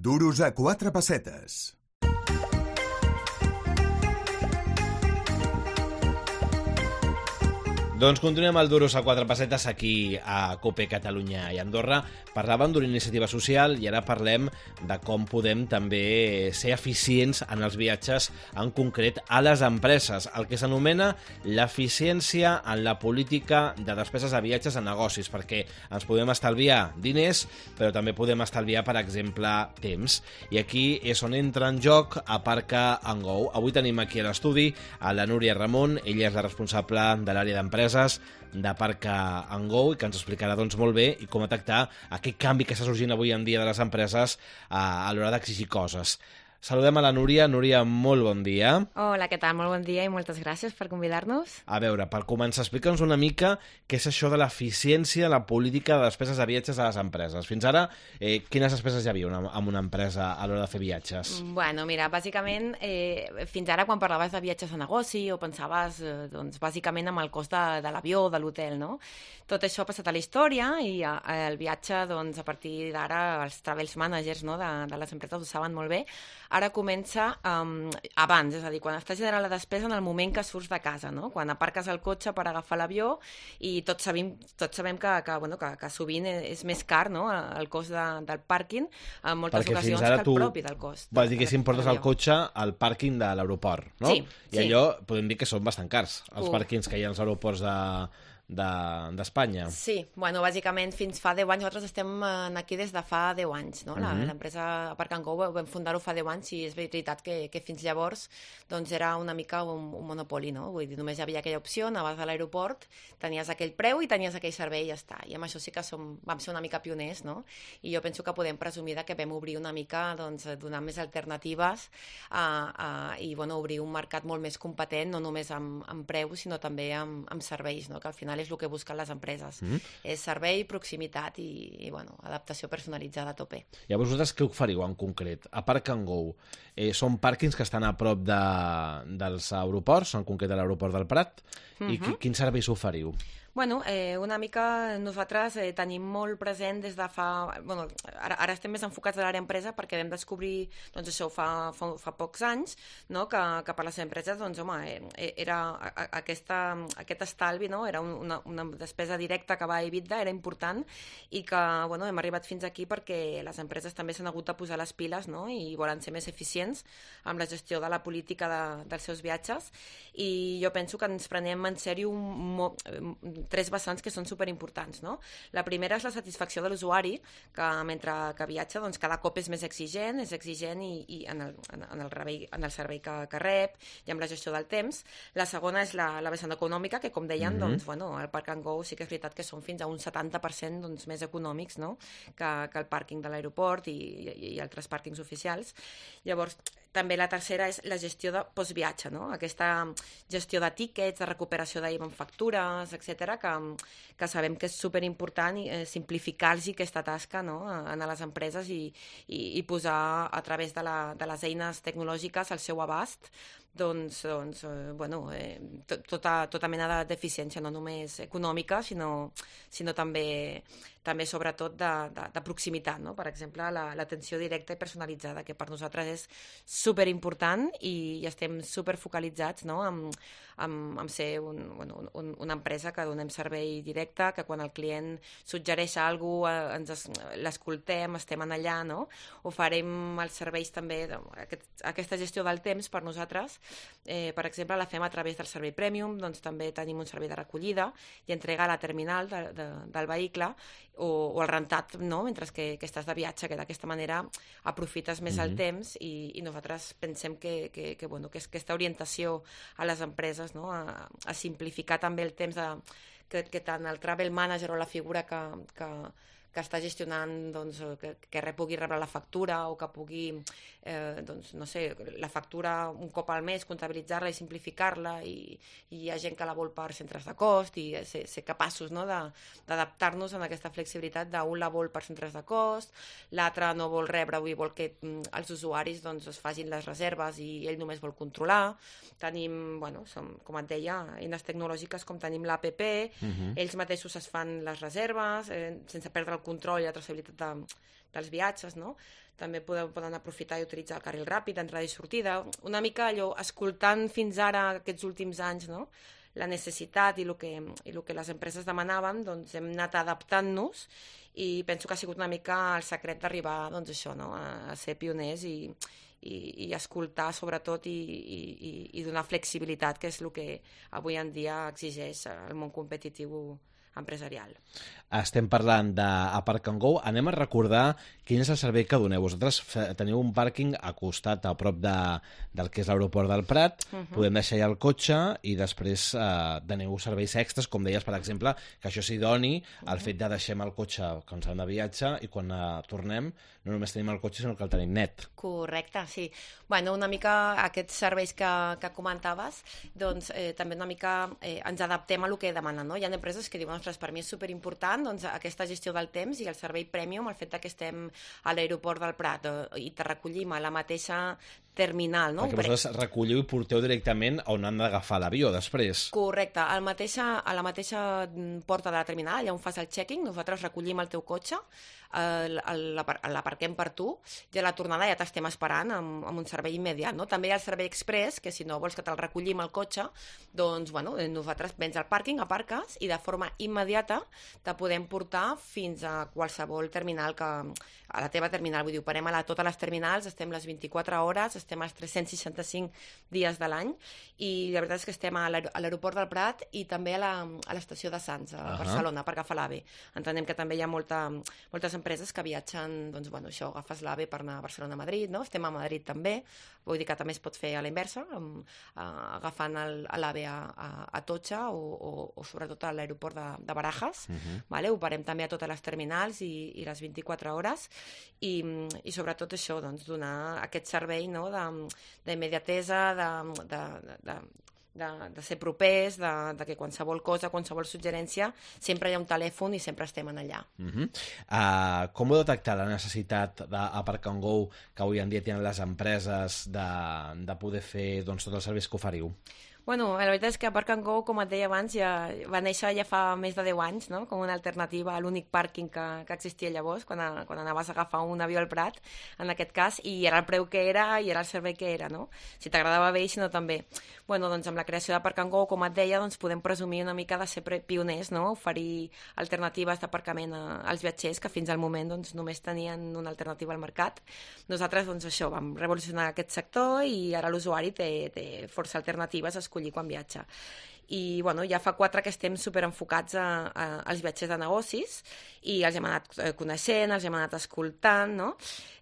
Duros a 4 pessetes. Doncs continuem el Duros a 4 pessetes aquí a COPE Catalunya i Andorra. Parlàvem d'una iniciativa social i ara parlem de com podem també ser eficients en els viatges, en concret a les empreses, el que s'anomena l'eficiència en la política de despeses de viatges a negocis, perquè ens podem estalviar diners, però també podem estalviar, per exemple, temps. I aquí és on entra en joc Aparca and Go. Avui tenim aquí a l'estudi a la Núria Ramon, ella és la responsable de l'àrea d'empreses d'Aparca and Go i que ens explicarà doncs, molt bé i com detectar aquest canvi que està sorgint avui en dia de les empreses a l'hora d'exigir coses. Saludem a la Núria. Núria, molt bon dia. Hola, què tal? Molt bon dia i moltes gràcies per convidar-nos. A veure, per començar, explica'ns una mica què és això de l'eficiència de la política de despeses de viatges a les empreses. Fins ara, quines despeses hi havia en una empresa a l'hora de fer viatges? Bueno, mira, bàsicament, fins ara quan parlaves de viatges a negoci o pensaves, doncs, bàsicament amb el cost de l'avió o de l'hotel, no? Tot això ha passat a la història i el viatge, doncs, a partir d'ara, els travels managers, no, de les empreses ho saben molt bé. Ara comença abans, és a dir, quan estàs generant la despesa en el moment que surts de casa, no? Quan aparques el cotxe per agafar l'avió i tots sabem que sovint és més car, no? El cost del pàrquing en moltes ocasions que el propi del cost. Vas dir que si em portes el cotxe al pàrquing de l'aeroport, no? Sí. I allò podem dir que són bastant cars, els pàrquings que hi ha als aeroports d'Espanya. Sí, bueno, bàsicament fins fa 10 anys, nosaltres estem aquí des de fa 10 anys, no? L'empresa Aparca and Go vam fundar-ho fa 10 anys i és veritat que fins llavors doncs era una mica un monopoli, no? Vull dir, només hi havia aquella opció, anaves a l'aeroport, tenies aquell preu i tenies aquell servei i ja està. I amb això sí que vam ser una mica pioners, no? I jo penso que podem presumir que vam obrir una mica, doncs, donar més alternatives i, bueno, obrir un mercat molt més competent, no només amb preus, sinó també amb serveis, no? Que al final és el que busquen les empreses. És servei, proximitat i bueno, adaptació personalitzada a tope. I vosaltres què oferiu en concret? Aparca and Go, són pàrquings que estan a prop dels aeroports, en concret de l'aeroport del Prat, i quins serveis oferiu? Bueno, una mica nosaltres tenim molt present des de fa... Bueno, ara estem més enfocats a l'àrea empresa perquè vam descobrir, doncs això fa pocs anys, no? que per les empreses, doncs home, era aquest estalvi, no? Era una despesa directa que va a EBITDA, era important i que, bueno, hem arribat fins aquí perquè les empreses també s'han hagut de posar les piles, no? I volen ser més eficients amb la gestió de la política dels seus viatges i jo penso que ens prenem en sèrio 3 vessants que són superimportants, no? La primera és la satisfacció de l'usuari, que mentre que viatja, doncs cada cop és més exigent i en el servei que rep i amb la gestió del temps. La segona és la vessant econòmica, que com deien, doncs, bueno, el Park and Go sí que és veritat que són fins a un 70% doncs, més econòmics, no? que el pàrquing de l'aeroport i altres pàrquings oficials. Llavors, també la tercera és la gestió de postviatge, no? Aquesta gestió de tíquets, de recuperació d'IVA en factures, etc, que sabem que és superimportant simplificar-los aquesta tasca, no? A les empreses i posar a través de les eines tecnològiques al seu abast bueno, tota mena d'eficiència, no només econòmica, sinó també sobretot de proximitat, no? Per exemple, l'atenció directa i personalitzada, que per nosaltres és superimportant i estem superfocalitzats, no? amb ser una empresa que donem servei directe, que quan el client suggereix alguna cosa l'escoltem, estem en allà, no? Oferim els serveis també, aquesta gestió del temps per nosaltres, per exemple, la fem a través del servei Premium, doncs també tenim un servei de recollida i entrega a la terminal del vehicle o el rentat, no? Mentre que estàs de viatge, que d'aquesta manera aprofites més el temps i nosaltres pensem que aquesta orientació a les empreses, no? A simplificar també el temps que tant el travel manager o la figura que està gestionant, doncs, que pugui rebre la factura o que pugui, doncs, no sé, la factura un cop al mes, comptabilitzar-la i simplificar-la i hi ha gent que la vol per centres de cost i ser capaços, no? d'adaptar-nos en aquesta flexibilitat d'un la vol per centres de cost, l'altre no vol rebre i vol que els usuaris doncs, es facin les reserves i ell només vol controlar. Tenim, bueno, com et deia, eines tecnològiques com tenim l'APP, ells mateixos es fan les reserves sense perdre el el control i la traçabilitat dels viatges, no? També poden aprofitar i utilitzar el carril ràpid, entrada i sortida, una mica allò, escoltant fins ara aquests últims anys, no? La necessitat i el que les empreses demanaven, doncs hem anat adaptant-nos i penso que ha sigut una mica el secret d'arribar, doncs això, no? A ser pioners i escoltar sobretot i donar flexibilitat, que és el que avui en dia exigeix el món competitiu empresarial. Estem parlant d'Apark and Go. Anem a recordar quin és el servei que doneu. Vosaltres teniu un pàrquing a costat, a prop del que és l'aeroport del Prat. Podem deixar allà el cotxe i després doneu serveis extras, com deies, per exemple, que això s'hi doni el fet de deixem el cotxe quan s'han de viatge i quan tornem no només tenim el cotxe, sinó que el tenim net. Correcte, sí. Bueno, una mica aquests serveis que comentaves, doncs també una mica ens adaptem a el que demanen, no? Hi ha empreses que diuen, ostres, per mi és superimportant doncs, aquesta gestió del temps i el servei premium, el fet que estem a l'aeroport del Prat i te recollim a la mateixa terminal, no? Perquè vosaltres recolliu i porteu directament on han d'agafar l'avió després. Correcte, a la mateixa porta de la terminal, allà on fas el check-in, nosaltres recollim el teu cotxe, l'aparquem per tu i a la tornada ja t'estem esperant amb un servei immediat, no? També hi ha el servei express, que si no vols que te'l recollim al cotxe, doncs, bueno, nosaltres vens al pàrquing, aparques i de forma immediata te podem portar fins a qualsevol terminal a la teva terminal, vull dir, operem a totes les terminals, estem les 24 hores, estem els 365 dies de l'any i la veritat és que estem a l'aeroport del Prat i també a l'estació de Sants, a Barcelona, per agafar l'AVE. Entenem que també hi ha moltes empreses que viatgen, doncs, bueno, això, agafes l'AVE per anar a Barcelona a Madrid, no? Estem a Madrid també, vull dir que també es pot fer a la inversa, agafant l'AVE a Totxa o sobretot a l'aeroport de Barajas, vale? Operem també a totes les terminals i les 24 hores i sobretot això, doncs, donar aquest servei, no? D'immediatesa, de ser propers, de que qualsevol cosa, qualsevol suggerència, sempre hi ha un telèfon i sempre estem allà. Com heu detectat la necessitat d'Apark and Go que avui en dia tenen les empreses de poder fer doncs, tots els serveis que oferiu? Bueno, la veritat és que Apark and Go, com et deia abans, ja va néixer ja fa més de 10 anys, no? Com una alternativa a l'únic pàrquing que existia llavors, quan anaves a agafar un avió al Prat, en aquest cas, i era el preu que era i era el servei que era, no? Si t'agradava bé i si no també. Bueno, doncs amb la creació d'Apark and Go, com et deia, doncs podem presumir una mica de ser pioners, no? Oferir alternatives d'aparcament als viatgers que fins al moment doncs, només tenien una alternativa al mercat. Nosaltres, doncs això, vam revolucionar aquest sector i ara l'usuari té força alternatives a escollir quan viatja. I bueno, ja fa 4 que estem superenfocats als viatgers de negocis i els hem anat coneixent, els hem anat escoltant, no?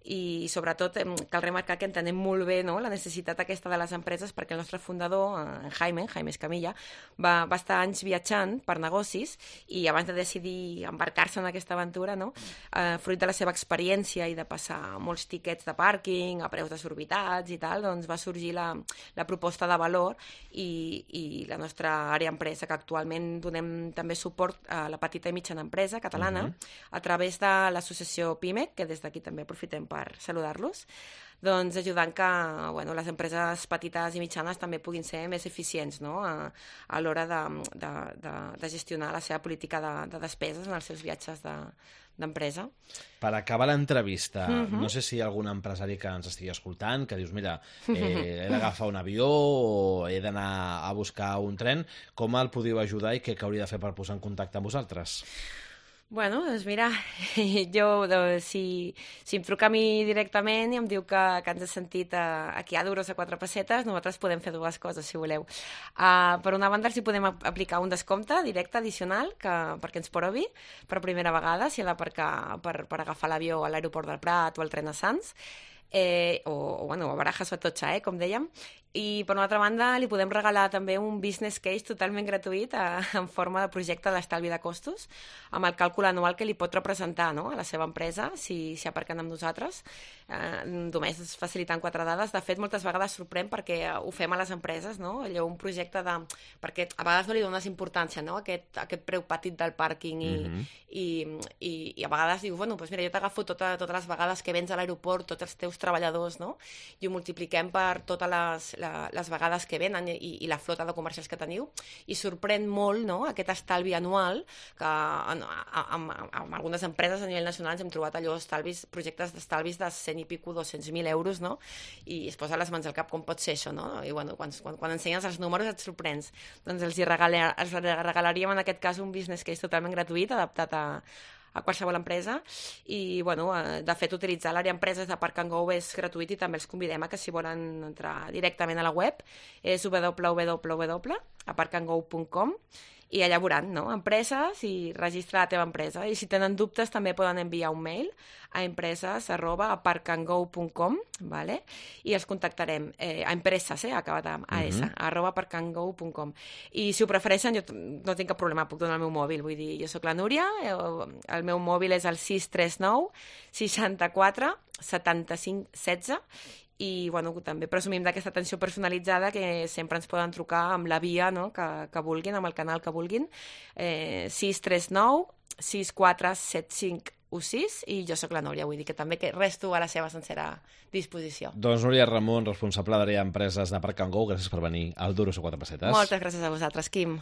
I sobretot cal remarcar que entenem molt bé, no? La necessitat aquesta de les empreses perquè el nostre fundador, Jaime Escamilla, va estar anys viatjant per negocis i abans de decidir embarcar-se en aquesta aventura, no? Fruit de la seva experiència i de passar molts tiquets de pàrquing a preus desorbitats i tal, doncs va sorgir la proposta de valor i la nostra àrea empresa, que actualment donem també suport a la petita i mitjana empresa catalana a través de l'associació PIMEC, que des d'aquí també aprofitem per saludar-los, doncs ajudant que les empreses petites i mitjanes també puguin ser més eficients, no? A l'hora de gestionar la seva política de despeses en els seus viatges d'empresa. Per acabar l'entrevista, no sé si hi ha algun empresari que ens estigui escoltant, que dius, mira, he d'agafar un avió o he d'anar a buscar un tren, com el podeu ajudar i què hauria de fer per posar en contacte amb vosaltres? Bueno, doncs mira, si em truca a mi directament i em diu que ens ha sentit aquí a Duros a 4 pessetes, nosaltres podem fer 2 coses, si voleu. Per una banda, si podem aplicar un descompte directe addicional perquè ens provi per primera vegada, si ha d'aparcar per agafar l'avió a l'aeroport del Prat o al tren a Sants, o a Barajas o a Totxa, com dèiem. I per una altra banda li podem regalar també un business case totalment gratuït en forma de projecte d'estalvi de costos amb el càlcul anual que li pot representar, no? A la seva empresa si aparquen amb nosaltres, només facilitant 4 dades. De fet, moltes vegades sorprèn perquè ho fem a les empreses, no? Allò, un projecte perquè a vegades no li dones importància, no? Aquest preu petit del pàrquing i a vegades dius, bueno, doncs mira, jo t'agafo totes les vegades que vens a l'aeroport, tots els teus treballadors, no? I ho multipliquem per totes les vegades que venen i la flota de comercials que teniu, i sorprèn molt, no?, aquest estalvi anual que amb algunes empreses a nivell nacional ens hem trobat projectes d'estalvis de 100 i pico, 200.000 euros, no?, i es posa les mans al cap com pot ser això, no?, i bueno, quan ensenyes els números et sorprens. Doncs els regalaríem en aquest cas un business case totalment gratuït, adaptat a qualsevol empresa, i bueno, de fet utilitzar l'àrea empreses de Park & Go és gratuït, i també els convidem a que si volen entrar directament a la web és www.aparkandgo.com, i allà veuran, no?, empreses, i registrar la teva empresa, i si tenen dubtes també poden enviar un mail a empreses@aparkandgo.com, vale? I els contactarem, a empreses, acabat amb AS, @aparkandgo.com, i si ho prefereixen jo no tinc cap problema, puc donar el meu mòbil, vull dir, jo sóc la Núria, el meu mòbil és el 639 64 75 16, i bueno, també presumim d'aquesta atenció personalitzada, que sempre ens poden trucar amb la via, no?, que vulguin, amb el canal que vulguin, 639 6475 16, i jo sóc la Núria, vull dir que també que resto a la seva sencera disposició. Doncs Núria Ramon, responsable d'àrea empreses de Park & Go, gràcies per venir al Duros a 4 pessetes. Moltes gràcies a vosaltres, Quim.